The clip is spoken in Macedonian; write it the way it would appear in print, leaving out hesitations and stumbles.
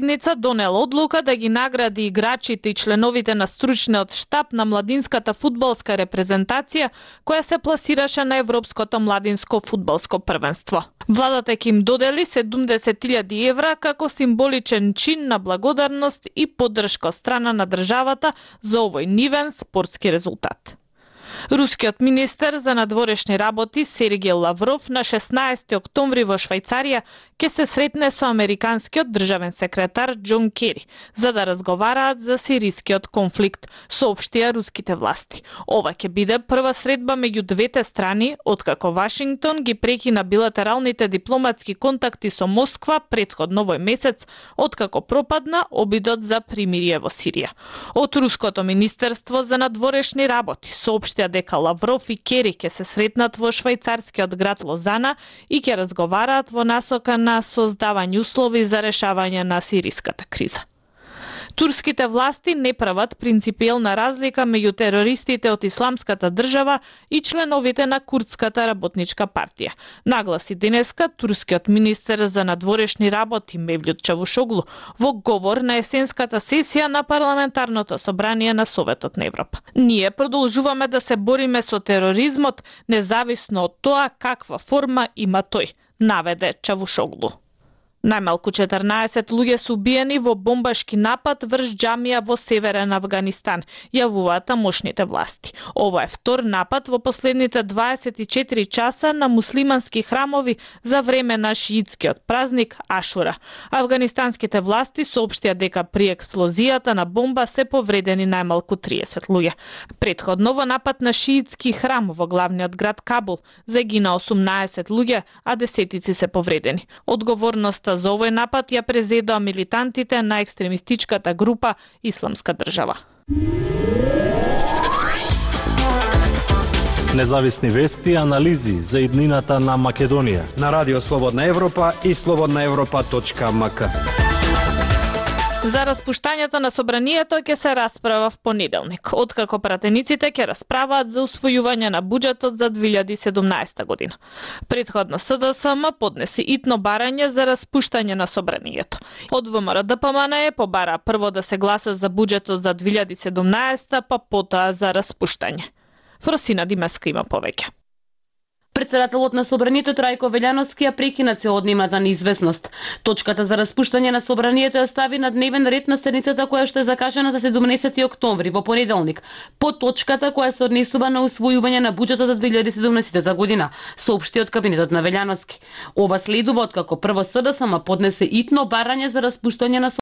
седница донела одлука да ги награди играчите и членовите на стручниот штаб на младинската фудбалска репрезентација која се пласираше на Европското младинско фудбалско првенство. Владата ќе им додели 70.000 евра како символичен чин на благодарност и поддршка од страна на државата за овој нивен спортски резултат. Рускиот министер за надворешни работи Сергеј Лавров на 16 октомври во Швајцарија ќе се сретне со американскиот државен секретар Џон Кери за да разговараат за сирискиот конфликт, соопштија руските власти. Ова ќе биде прва средба меѓу двете страни откако Вашингтон ги прекина билатералните дипломатски контакти со Москва претходно овој месец, откако пропадна обидот за примирие во Сирија. Од руското министерство за надворешни работи соопштија дека Лавров и Кери ќе се сретнат во швајцарскиот град Лозана и ќе разговараат во насока на создавање услови за решавање на сириската криза. Турските власти не прават принципиелна разлика меѓу терористите од Исламската држава и членовите на Курдската работничка партија. Нагласи денеска турскиот министер за надворешни работи Мевлют Чавушоглу во говор на есенската сесија на парламентарното собрание на Советот на Европа. Ние продолжуваме да се бориме со тероризмот независно од тоа каква форма има тој, наведе Чавушоглу. Најмалку 14 луѓе се убиени во бомбашки напад врз џамија во северен Авганистан, јавуваат тамошните власти. Ова е втор напад во последните 24 часа на муслимански храмови за време на шиитскиот празник Ашура. Авганистанските власти соопштија дека при експлозијата на бомба се повредени најмалку 30 луѓе. Претходно во напад на шиитски храм во главниот град Кабул загина 18 луѓе, а десетици се повредени. Одговорноста за овој напад ја презедоа милитантите на екстремистичката група Исламска држава. Независни вести и анализи за иднината на Македонија на Радио Слободна Европа и slobodnaevropa.mk. За распуштањето на собранието ќе се расправа в понеделник, откако пратениците ќе расправаат за усвојување на буџетот за 2017 година. Претходно СДСМ поднесе итно барање за распуштање на собранието. Од ВМРО ДПМН побара прво да се гласа за буџетот за 2017, па потоа за распуштање. Фросина Димеска има повеќе. Председателот на собранието Трајко Велјановски ја прекина целодневната неизвестност. Точката за распуштање на собранието ја стави на дневен ред на седницата која што е закажана за 17 октомври во понеделник, по точката која се однесува на усвојување на буџетот за 2017 година, соопшти од кабинетот на Велјановски. Ова следува откако прво СДСМ поднесе итно барање за распуштање на